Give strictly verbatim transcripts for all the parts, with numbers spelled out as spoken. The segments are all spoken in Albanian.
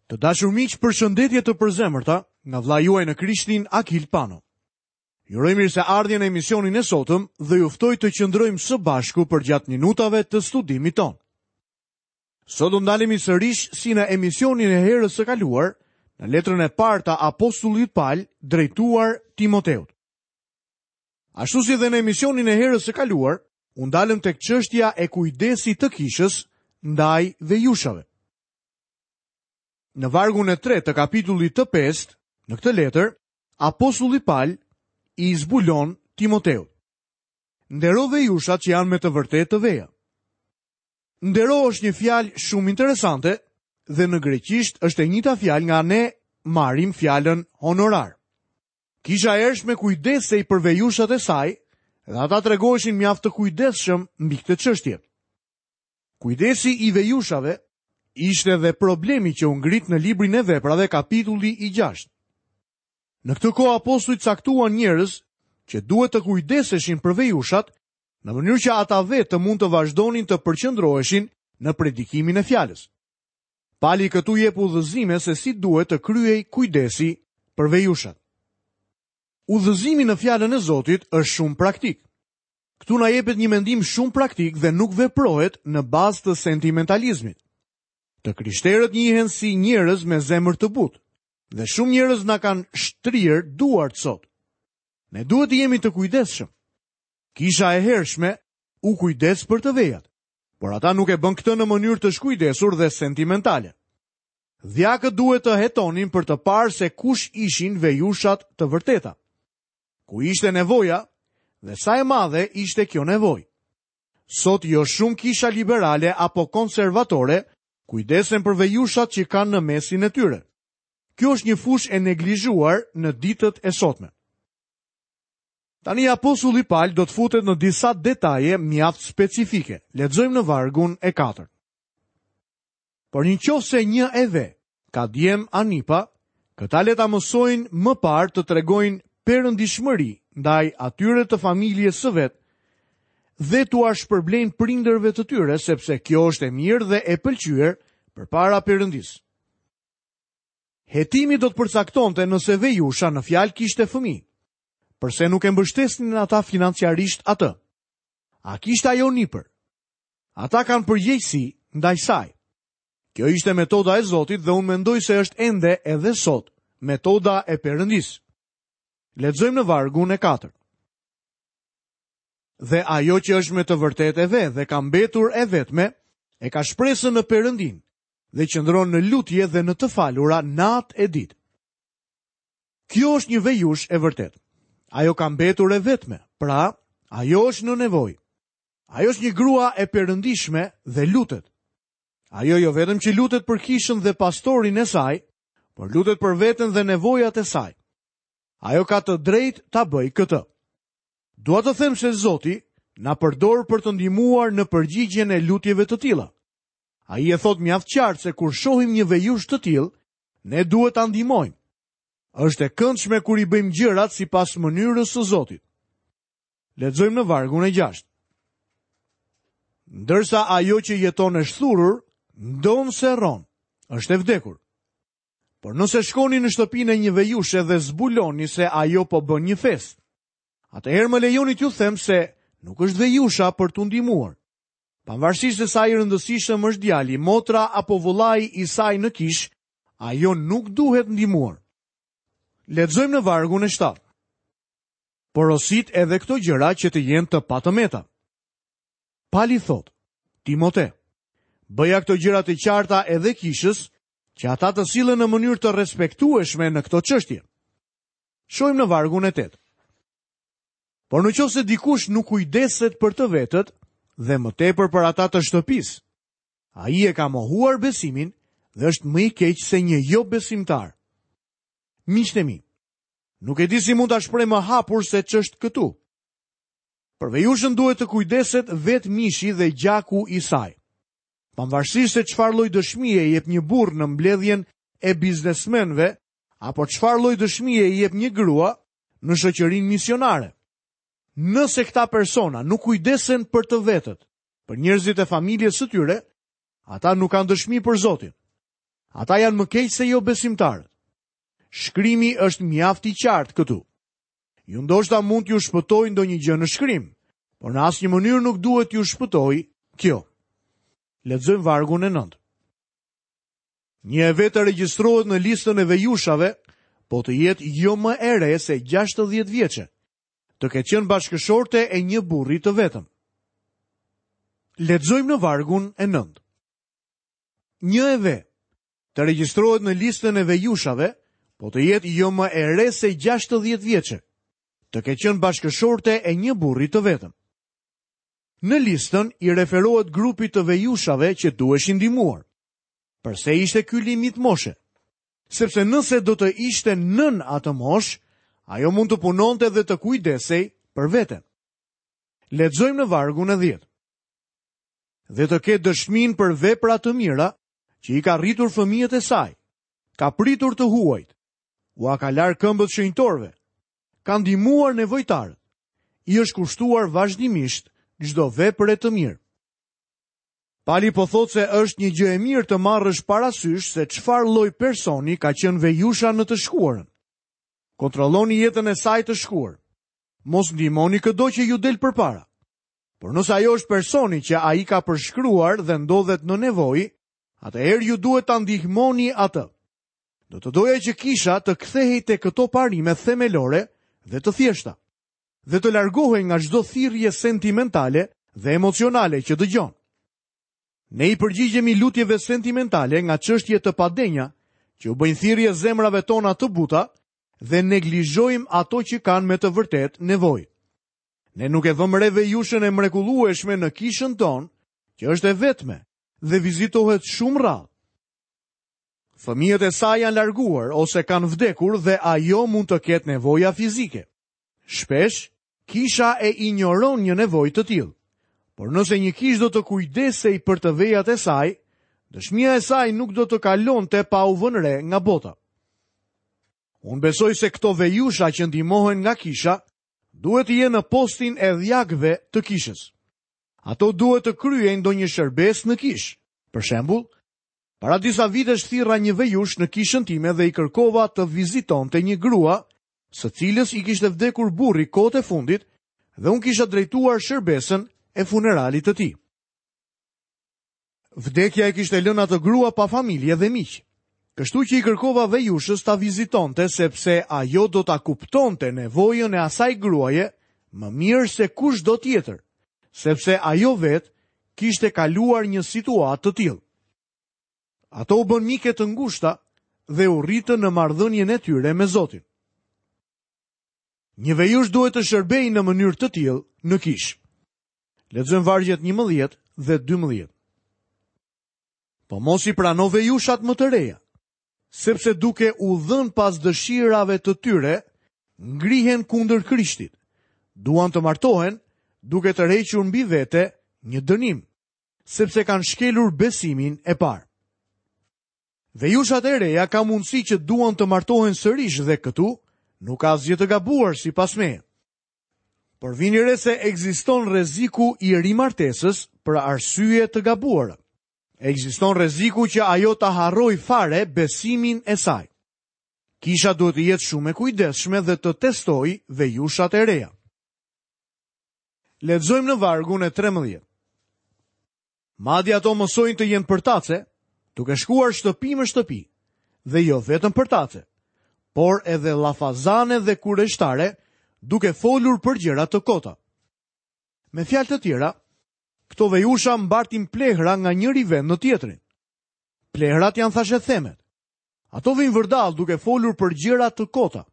Të dashur miq, përshëndetje të përzemërta nga vëllai juaj në Krishtin Akil Pano. Ju uroj mirëseardhjen në emisionin e sotëm dhe ju ftoj të qëndrojmë së bashku përgjatë minutave të studimit tonë. Sot do ndalemi sërish si në emisionin e herës së kaluar, në letrën e parë të apostullit Pal drejtuar Timoteut. Ashtu si dhe në emisionin e herës së kaluar, u ndalëm tek çështja e kujdesit të kishës ndaj vejushave. Në vargun e tretë të kapitullit të pestë, në këtë letër, apostulli Pal i zbulon Timoteut. Ndero vejushat që janë me të vërtetë të veja. Ndero është një fjalë shumë interesante dhe në greqisht është e njëjta fjalë nga ne marrim fjalën honorar. Kisha e hershme kujdesej për vejushat e saj dhe ata tregoheshin mjaft të kujdesshëm mbi këtë çështje. Kujdesi i vejushave ishte dhe problemi që u ngrit në librin e veprave kapitulli i gjashtë. Në këtë kohë apostujt caktuan njerëz që duhet të kujdeseshin për vejushat, në mënyrë që ata vetë të mund të vazhdonin të përqendroheshin në predikimin e fjalës. Pali këtu jep udhëzime se si duhet të kryej kujdesi për vejushat. Udhëzimi në fjalën e Zotit është shumë praktik. Këtu na jepet një mendim shumë praktik dhe nuk veprohet në bazë të sentimentalizmit. Të krishterët njihen si njerëz me zemër të butë dhe shumë njerëz na kanë shtrirë duart sot. Ne duhet të jemi të kujdesshëm. Kisha e hershme u kujdes për të vejat, por ata nuk e bën këtë në mënyrë të shkujdesur dhe sentimentale. Dhjakët duhet të hetonin për të parë se kush ishin vejushat të vërteta. Ku ishte nevoja dhe sa e madhe ishte kjo nevojë. Sot jo shumë kisha liberale apo konservatore kujdesen për vejushat që kanë në mesin e tyre. Kjo është një fushë e neglizhuar në ditët e sotme. Tani apostulli Pal do të futet në disa detaje mjaft specifike. Lexojmë në vargun e katërt. Por në qoftë se një e ve ka djem anipa, këta le ta mësojnë më parë të tregojnë perëndishmëri ndaj atyre të familjes së vet dhe t'ua shpërblejnë prindërve të tyre, sepse kjo është e mirë dhe e pëlqyer përpara Perëndisë. Hetimi do të përcaktonte nëse vejusha në fjalë kishte fëmijë. Përse nuk e mbështesnin ata financiarisht atë? A kishte ajo nipër? Ata kanë përgjegjësi ndaj saj. Kjo ishte metoda e Zotit dhe unë mendoj se është ende edhe sot metoda e Perëndisë. Lexojmë në vargun e katërt. Dhe ajo që është me të vërtetë e ve dhe ka mbetur e vetme, e ka shpresën në Perëndin dhe qëndron në lutje dhe në të falura natë e ditë. Kjo është një vejush e vërtetë. Ajo ka mbetur e vetme, pra ajo është në nevojë. Ajo është një grua e perëndishme dhe lutet. Ajo jo vetëm që lutet për kishën dhe pastorin e saj, por lutet për veten dhe nevojat e saj. Ajo ka të drejtë ta bëjë këtë. Dua të them se Zoti na përdor për të ndihmuar në përgjigjen e lutjeve të tilla. Ai e thot mjaft qartë se kur shohim një vejush të tillë, ne duhet ta ndihmojmë. Është e këndshme kur i bëjmë gjërat sipas mënyrës së Zotit. Lexojmë në vargun e gjashtë. Ndërsa ajo që jeton e shthurur, ndonëse rron, është e vdekur. Por nëse shkoni në shtëpinë e një vejushe dhe zbuloni se ajo po bën një festë, atëherë më lejoni t'ju them se nuk është vejusha për t'u ndihmuar. Pavarësisht se sa i rëndësishëm është djali, motra apo vëllai i saj në kish, ajo nuk duhet ndihmuar. Lexojmë në vargun e shtatë. Porosit edhe këto gjëra që të jenë të patëmeta. Pali thot, Timote, bëja këto gjëra të qarta edhe kishës, që ata të sillen në mënyrë të respektueshme në këto çështje. Shohim në vargun e tetë. Por në qoftë se dikush nuk kujdeset për të vetët dhe më tepër për ata të shtëpisë, ai e ka mohuar besimin dhe është më i keq se një jo besimtar. Miqtë e mi, nuk e di si mund ta shpreh më hapur se ç'është këtu. Për vejushën duhet të kujdeset vetë mishi dhe gjaku i saj. Pavarësisht se çfarë lloj dëshmie jep një burr në mbledhjen e biznesmenëve apo çfarë lloj dëshmie jep një grua në shoqërinë misionare. Nëse këta persona nuk kujdesen për të vetët, për njerëzit e familjes së tyre, ata nuk kanë dëshmi për Zotin. Ata janë më keq se jo besimtarët. Shkrimi është mjaft i qartë këtu. Ju ndoshta mund t'ju shpëtoj ndonjë gjë në shkrim, por në asnjë mënyrë nuk duhet t'ju shpëtoj kjo. Lexojmë vargun e nëntë. Një e ve të regjistrohet në listën e vejushave, po të jetë jo më e re se gjashtëdhjetë vjeçe, të ketë qenë bashkëshorte e një burri të vetëm. Lexojmë në vargun e nëntë. Një e ve të regjistrohet në listën e vejushave, po të jetë jo më e re se gjashtëdhjetë vjeçe, të ketë qenë bashkëshorte e një burri të vetëm. Në listën i referohet grupit të vejushave që duheshin ndihmuar. Përse ishte ky limit moshe? Sepse nëse do të ishte nën atë moshë, ajo mund të punonte dhe të kujdesej për veten. Lexojmë në vargun e dhjetë. Dhe të ketë dëshminë për vepra të mira që i ka rritur fëmijët e saj, ka pritur të huajt, ua ka larë këmbët shenjtorëve, ka ndihmuar nevojtarët, i është kushtuar vazhdimisht çdo vepre të mirë. Pali po thotë se është një gjë e mirë të marrësh parasysh se çfarë lloj personi ka qenë vejusha në të shkuarën. Kontrolloni jetën e saj të shkuar. Mos ndihmoni këdo që ju del përpara. Por nëse ajo është personi që ai ka përshkruar dhe ndodhet në nevojë, atëherë ju duhet ta ndihmoni atë. Do të doja që kisha të kthehej te këto parime themelore dhe të thjeshta, dhe të largohej nga çdo thirrje sentimentale dhe emocionale që dëgjon. Ne i përgjigjemi lutjeve sentimentale nga çështje të padenja që u bëjnë thirrje zemrave tona të buta dhe neglizhojmë ato që kanë me të vërtetë nevojë. Ne nuk e vëmë re vejushën e mrekullueshme në kishën tonë, që është e vetme dhe vizitohet shumë rrallë. Fëmijët e saj janë larguar ose kanë vdekur dhe ajo mund të ketë nevoja fizike. Shpesh, kisha e injoron një nevojë të tillë. Por nëse një kishë do të kujdesej për të vejat e saj, dëshmia e saj nuk do të kalonte pa u vënë re nga bota. Unë besoj se këto vejusha që ndihmohen nga kisha duhet të jenë në postin e dhjakëve të kishës. Ato duhet të kryejnë ndonjë shërbes në kishë. Për shembull, para disa vitesh thirra një vejush në kishën time dhe i kërkova të vizitonte një grua, së cilës i kishte vdekur burri kohët e fundit, dhe unë kisha drejtuar shërbesën e funeralit të tij. Vdekja e kishte lënë atë grua pa familje dhe miq. Kështu që i kërkova vejushës ta vizitonte sepse ajo do ta kuptonte nevojën e asaj gruaje më mirë se kushdo tjetër, sepse ajo vetë kishte kaluar një situatë të tillë. Ato u bën mike të ngushta dhe u rritën në marrëdhënien e tyre me Zotin. Një vejush duhet të shërbejë në mënyrë të tillë në kishë. Lexojmë vargjet njëmbëdhjetë dhe dymbëdhjetë. Po mos i prano vejushat më të reja, sepse duke u dhënë pas dëshirave të tyre, ngrihen kundër Krishtit. Duan të martohen, duke tërhequr mbi vete një dënim, sepse kanë shkelur besimin e parë. Vejushat e reja ka mundësi që duan të martohen sërish dhe këtu nuk ka asgjë të gabuar sipas meje. Por vini re se ekziston rreziku i rimartesës për arsye të gabuara. Ekziston rreziku që ajo ta harrojë fare besimin e saj. Kisha duhet të jetë shumë e kujdesshme dhe të testojë vejushat e reja. Lexojmë në vargun e trembëdhjetë. Madje ato mësojnë të jenë përtace, duke shkuar shtëpi më shtëpi, dhe jo vetëm përtace, por edhe llafazane dhe kureshtare, duke folur për gjëra të kota. Me fjalë të tjera, këto vejusha mbartin plehra nga njëri vend në tjetrin. Plehrat janë thashethemet. Ato vijnë vërdall duke folur për gjëra të kota.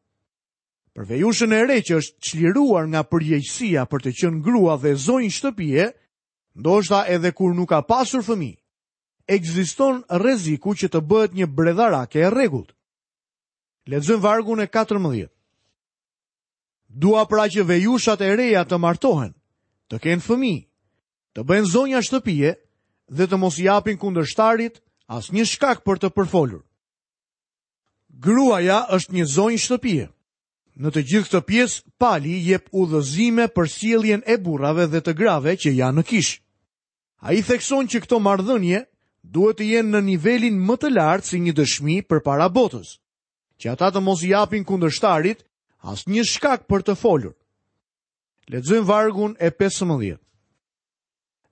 Për vejushën e re që është çliruar nga përgjegjësia për të qenë grua dhe zonjë shtëpie, ndoshta edhe kur nuk ka pasur fëmijë, ekziston rreziku që të bëhet një bredharake e rregullt. Lexojmë vargun e katërmbëdhjetë. Dua pra që vejushat e reja të martohen, të kenë fëmijë, të bëjnë zonja shtëpie dhe të mos i japin kundërshtarit asnjë shkak për të përfolur. Gruaja është një zonjë shtëpie. Në të gjithë këtë pjesë, Pali jep udhëzime për sjelljen e burrave dhe të grave që janë në kishë. Ai thekson që këto marrëdhënie duhet të jenë në nivelin më të lartë si një dëshmi përpara botës, që ata të mos i japin kundërshtarit asnjë shkak për të folur. Lexojmë vargun e pesëmbëdhjetë.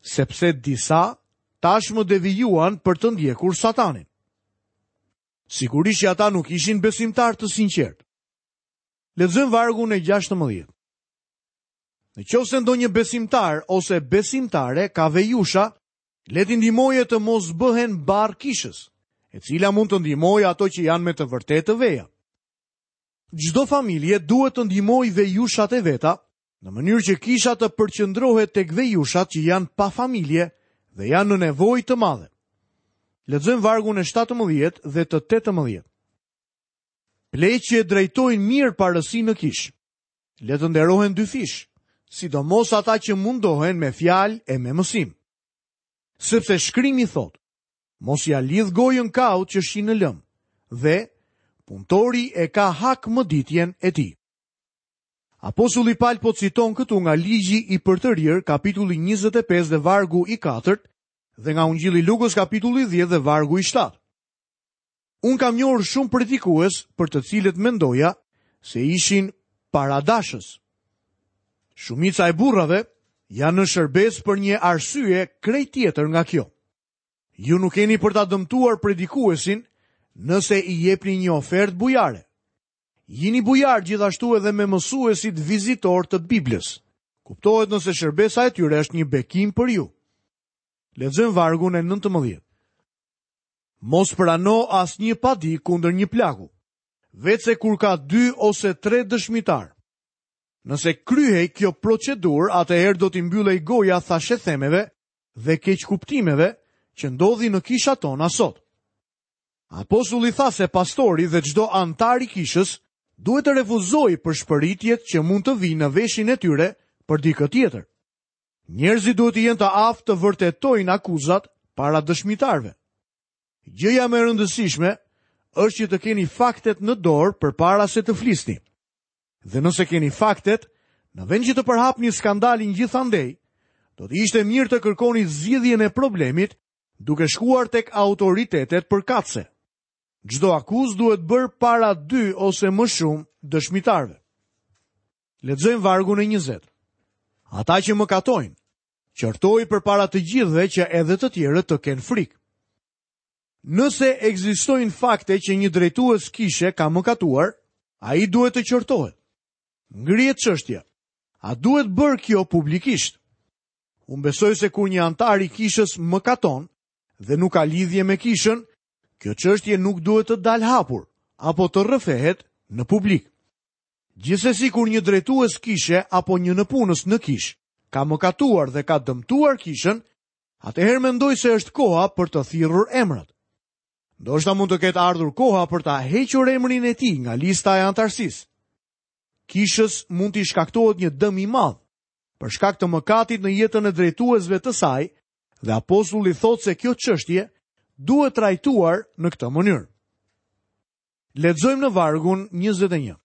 Sepse disa tashmë devijuan për të ndjekur Satanin. Sigurisht që ata nuk ishin besimtar të sinqertë. Lexojmë vargun e gjashtëmbëdhjetë. Në qoftë se ndonjë besimtar ose besimtare ka vejusha, le t'i ndihmojë të mos bëhen barr kishës, e cila mund të ndihmojë ato që janë me të vërtetë të veja. Çdo familje duhet të ndihmojë vejushat e veta, në mënyrë që kisha të përqendrohet tek vejushat që janë pa familje dhe janë në nevojë të madhe. Lexojmë vargun e shtatëmbëdhjetë dhe të tetëmbëdhjetë. Pleq që drejtojnë mirë parësinë në kishë, le të nderohen dyfish, sidomos ata që mundohen me fjalë e me mësim. Sepse shkrimi thotë, mos ja lidh gojën kaut që shi në lëm, dhe punëtori e ka hak mëditjen e tij. Apostulli Paul po citon këtu nga ligji i përtërirë, kapitulli njëzet e pesë dhe vargu i katërt, dhe nga Ungjilli Lukës kapitulli dhjetë dhe vargu i shtatë. Unë kam njohur shumë predikues për të cilët mendoja se ishin paradashës. Shumica e burrave janë në shërbes për një arsye krejt tjetër nga kjo. Ju nuk keni për ta dëmtuar predikuesin nëse i jepni një ofertë bujare. Jini bujar gjithashtu edhe me mësuesit vizitor të Biblës. Kuptohet nëse shërbesa e tyre është një bekim për ju. Lexojmë vargun e nëntëmbëdhjetë. Mos prano asnjë padi kundër një plaku, veçse kur ka dy ose tre dëshmitar. Nëse kryhej kjo procedurë, atëherë do t'i mbyllej goja thashethemeve dhe keqkuptimeve që ndodhin në kishat tona sot. Apostulli tha se pastori dhe çdo antar i kishës duhet të refuzojë përshpëritjet që mund të vinë në veshin e tyre për dikë tjetër. Njerëzit duhet të jenë të aftë të vërtetojnë akuzat para dëshmitarëve. Gjëja më e rëndësishme është që të keni faktet në dorë përpara se të flisni. Dhe nëse keni faktet, në vend që të përhapni skandalin gjithandej, do të ishte mirë të kërkoni zgjidhjen e problemit duke shkuar tek autoritetet përkatëse. Çdo akuzë duhet bërë para dy ose më shumë dëshmitarëve. Lexojmë vargun e njëzet. Ata që mëkatojnë, qortoi përpara të gjithëve që edhe të tjerët të kenë frikë. Nëse ekzistojnë fakte që një drejtues kishe ka mëkatuar, ai duhet të qortohet. Ngrihet çështja. A duhet bërë kjo publikisht? Unë besoj se kur një antar i kishës mëkaton dhe nuk ka lidhje me kishën, kjo çështje nuk duhet të dalë hapur apo të rrëfehet në publik. Gjithsesi kur një drejtues kishe apo një nëpunës në kishë ka mëkatuar dhe ka dëmtuar kishën, atëherë mendoj se është koha për të thirrur emrat. Ndoshta mund të ketë ardhur koha për ta hequr emrin e tij nga lista e antarësisë. Kishës mund t'i shkaktohet një dëm i madh për shkak të mëkatit në jetën e drejtuesve të saj, dhe apostulli thotë se kjo çështje duhet trajtuar në këtë mënyrë. Lexojmë në vargun njëzet e një.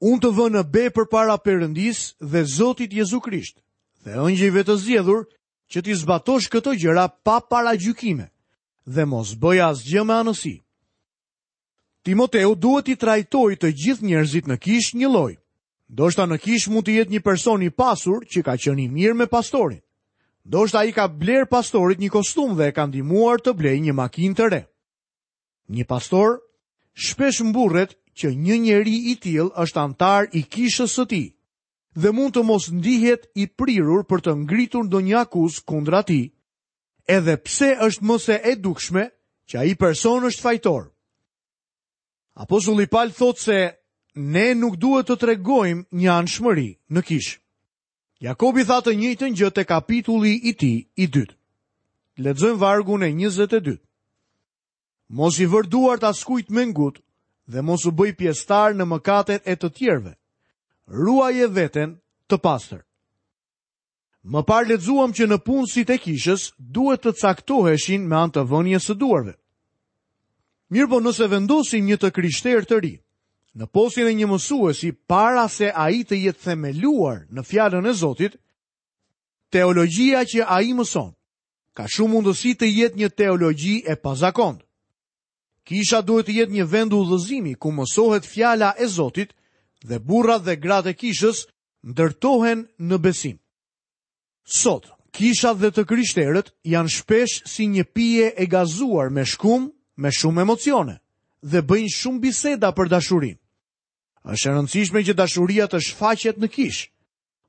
Unë të vë në be përpara Perëndisë dhe Zotit Jezu Krisht, dhe ëngjëjve të zgjedhur që t'i zbatosh këto gjëra pa paragjykime dhe mos bëj asgjë me anësi. Timoteu duhet t'i trajtojë të gjithë njerëzit në kishë njëlloj. Ndoshta në kishë mund të jetë një person i pasur që ka qenë i mirë me pastorin. Ndoshta ai ka bler pastorit një kostum dhe e ka ndihmuar të blejë një makinë të re. Një pastor shpesh mburret që një njeri i tillë është antar i kishës së tij dhe mund të mos ndihet i prirur për të ngritur ndonjë akuzë kundra tij, edhe pse është më se e dukshme që ai person është fajtor. Apostulli Paul thotë se ne nuk duhet të tregojmë një anshmëri në kishë. Jakobi tha të njëjtën gjë te kapitulli i tij i dytë. Lexojmë vargun e njëzet e dytë. Mos i vër duart askujt me ngut dhe mos u bëj pjesëtar në mëkatet e të tjerëve. Ruaje veten të pastër. Më parë lexuam që në punësit e kishës duhet të caktoheshin me anë të vënies së duarve. Mirë po nëse vendosim një të krishterë të ri në postin e një mësuesi para se ai të jetë themeluar në fjalën e Zotit, teologjia që ai mëson ka shumë mundësi të jetë një teologji e pazakontë. Kisha duhet të jetë një vend udhëzimi ku mësohet fjala e Zotit dhe burrat dhe gratë e kishës ndërtohen në besim. Sot, kishat dhe të krishterët janë shpesh si një pije e gazuar me shkum, me shumë emocione dhe bëjnë shumë biseda për dashurinë. Është e rëndësishme që dashuria të shfaqet në kishë,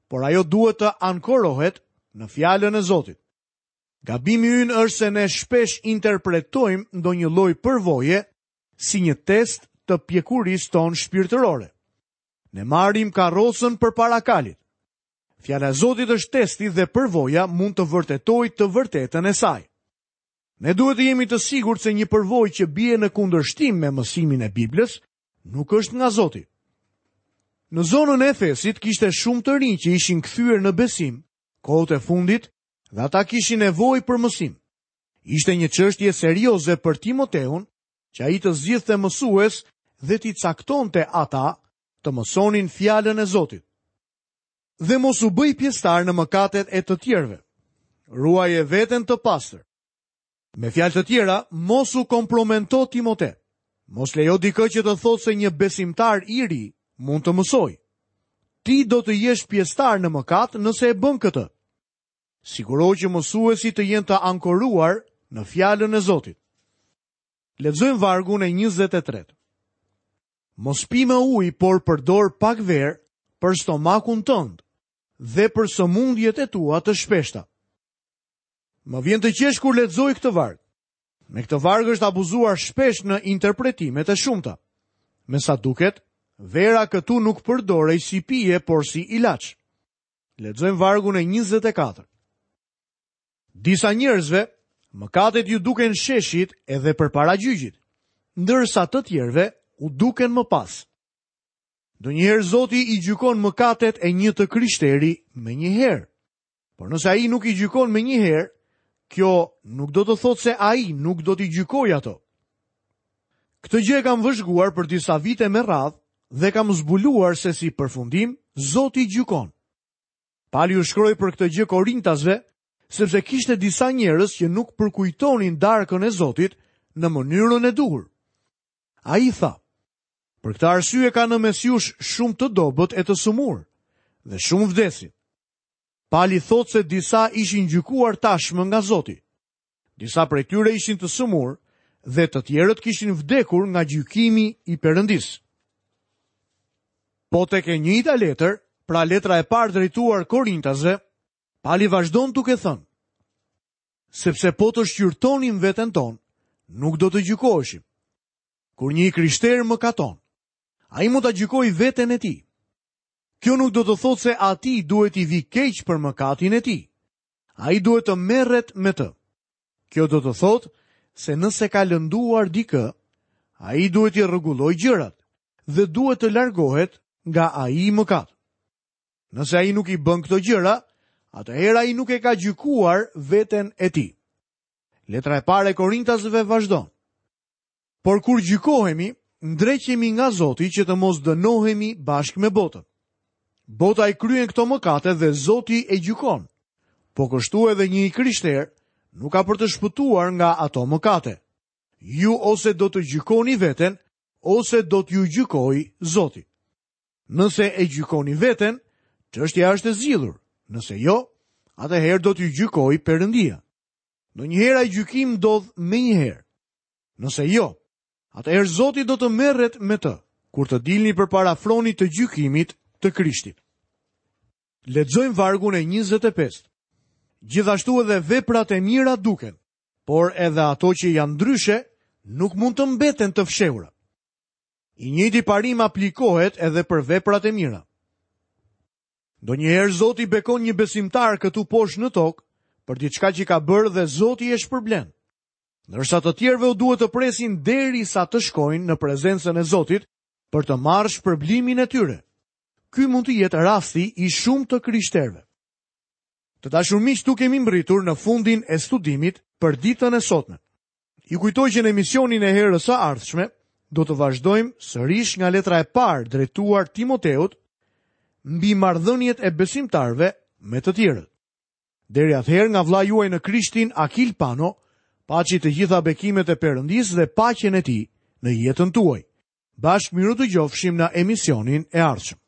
por ajo duhet të ankorohet në fjalën e Zotit. Gabimi ynë është se ne shpesh interpretojmë ndonjë lloj përvoje si një test të pjekurisë tonë shpirtërore. Ne marrim karrocën përpara kalit. Fjala e Zotit është testi dhe përvoja mund të vërtetojë të vërtetën e saj. Ne duhet të jemi të sigurt se një përvojë që bie në kundërshtim me mësimin e Biblës nuk është nga Zoti. Në zonën e Efesit kishte shumë të rinj që ishin kthyer në besim kohët e fundit dhe ata kishin nevojë për mësim. Ishte një çështje serioze për Timoteun që ai të zgjidhte mësues dhe t'i caktonte ata të mësonin fjalën e Zotit. Dhe mos u bëj pjesëtar në mëkatet e të tjerëve. Ruaje veten të pastër. Me fjalë të tjera, mos u kompromento Timote. Mos lejo dikë që të thotë se një besimtar i ri mund të mësojë. Ti do të jesh pjesëtar në mëkat nëse e bën këtë. Sigurohu që mësuesit të jenë të ankoruar në fjalën e Zotit. Lexojmë vargun e njëzet e tretë. Mos pi më ujë, por përdor pak verë për stomakun tënd dhe për sëmundjet e tua të shpeshta. Më vjen të qesh kur lexoj këtë varg. Me këtë varg është abuzuar shpesh në interpretimet e shumta. Me sa duket, vera këtu nuk përdorej si pije, por si ilaç. Lexojmë vargun e njëzet e katër. Disa njerëzve, mëkatet ju duken sheshit edhe përpara gjyqit, ndërsa të tjerëve u duken më pas. Ndonjëherë Zoti i gjykon mëkatet e një të krishteri me një herë. Por nëse ai nuk i gjykon me një herë, kjo nuk do të thotë se ai nuk do t'i gjykojë ato. Këtë gjë e kam vëzhguar për disa vite me radhë dhe kam zbuluar se si përfundim Zoti gjykon. Pali u shkroi për këtë gjë Korintasve, sepse kishte disa njerëz që nuk përkujtonin darkën e Zotit në mënyrën e duhur. Ai tha: Për këtë arsye ka në mes jush shumë të dobët e të sëmurë, dhe shumë vdesin. Pali thotë se disa ishin gjykuar tashmë nga Zoti. Disa prej tyre ishin të sëmurë dhe të tjerët kishin vdekur nga gjykimi i Perëndisë. Po tek e njëjta letër, pra letra e parë drejtuar Korintasve, Pali vazhdon duke thënë: Sepse po të shqyrtonim veten tonë, nuk do të gjykoheshim. Kur një i krishterë mëkaton, ai mund ta gjykojë veten e tij. Kjo nuk do të thotë se atij duhet i vi keq për mëkatin e tij. Ai duhet të merret me të. Kjo do të thotë se nëse ka lënduar dikë, ai duhet i rregullojë gjërat dhe duhet të largohet nga ai mëkat. Nëse ai nuk i bën këto gjëra, atëherë ai nuk e ka gjykuar veten e tij. Letra e parë e Korintasve vazhdon: Por kur gjykohemi, ndreqemi nga Zoti që të mos dënohemi bashkë me botën. Bota i kryen këto mëkate dhe Zoti e gjykon. Po kështu edhe një i krishter nuk ka për të shpëtuar nga ato mëkate. Ju ose do të gjykoni veten, ose do t'ju gjykojë Zoti. Nëse e gjykoni veten, çështja është e zgjidhur. Nëse jo, atëherë do t'ju gjykojë Perëndia. Ndonjëherë ai gjykim ndodh menjëherë. Nëse jo, atëherë Zoti do të merret me të, kur të dilni përpara fronit të gjykimit të Krishtit. Lexojmë vargun e njëzet e pestë. Gjithashtu edhe veprat e mira duken, por edhe ato që janë ndryshe nuk mund të mbeten të fshehura. I njëjti parim aplikohet edhe për veprat e mira. Ndonjëherë Zoti bekon një besimtar këtu poshtë në tokë për diçka që ka bërë dhe Zoti e shpërblen. Ndërsa të tjerëve u duhet të presin derisa të shkojnë në prezencën e Zotit për të marrë shpërblimin e tyre. Ky mund të jetë rasti i shumë të krishterëve. Të dashur miq, tu kemi mbërritur në fundin e studimit për ditën e sotme. Ju kujtoj që në emisionin e herës së ardhshme do të vazhdojmë sërish nga letra e parë drejtuar Timoteut mbi marrëdhëniet e besimtarëve me të tjerët. Deri atëherë nga vëllai juaj në Krishtin Akil Pano, paçi të gjitha bekimet e Perëndisë dhe paqen e tij në jetën tuaj. Bashkë mirudëgjofshim në emisionin e ardhshëm.